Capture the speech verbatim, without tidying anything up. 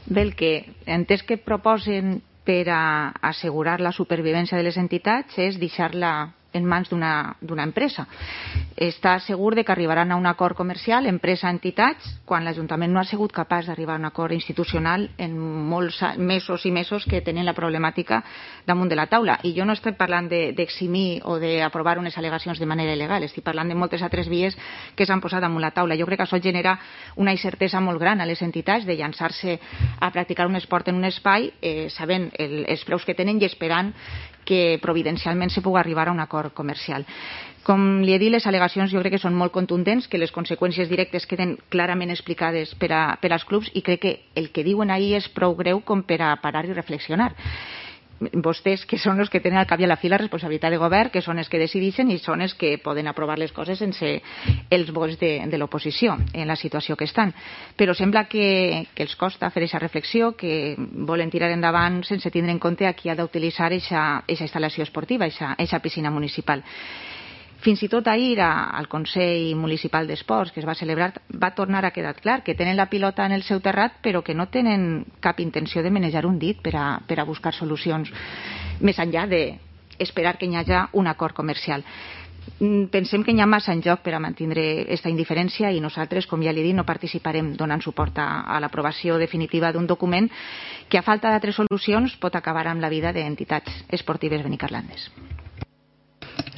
Bé, el que entès que proposen per a assegurar la supervivència de les entitats és deixar-la en mans d'una empresa. Està segur de que arribaran a un acord comercial empresa-entitats quan l'Ajuntament no ha sigut capaç d'arribar a un acord institucional en molts mesos i mesos que tenen la problemàtica damunt de la taula. I jo no estic parlant d'eximir o d'aprovar unes al·legacions de manera il·legal, estic parlant de moltes altres vies que s'han posat damunt la taula. Jo crec que això genera una incertesa molt gran a les entitats de llançar-se a practicar un esport en un espai eh, sabent el, els preus que tenen i esperant que providencialment se pugui arribar a un acord comercial. Com li he dit, les al·legacions jo crec que són molt contundents, que les conseqüències directes queden clarament explicades per, a, per als clubs i crec que el que diuen ahir és prou greu com per a parar i reflexionar. Vostès, que són els que tenen al cap i a la fi la responsabilitat de govern, que són els que decideixen i són els que poden aprovar les coses sense els vots de, de l'oposició en la situació que estan. Però sembla que, que els costa fer aquesta reflexió, que volen tirar endavant sense tindre en compte a qui ha d'utilitzar aquesta instal·lació esportiva, aquesta piscina municipal. Fins i tot ahir al Consell Municipal d'Esports que es va celebrar va tornar a quedar clar que tenen la pilota en el seu terrat però que no tenen cap intenció de manejar un dit per a, per a buscar solucions més enllà d'esperar que hi hagi un acord comercial. Pensem que hi ha massa en joc per a mantenir aquesta indiferència i nosaltres, com ja li he dit, no participarem donant suport a, a l'aprovació definitiva d'un document que a falta d'altres solucions pot acabar amb la vida d'entitats esportives benicarlandes.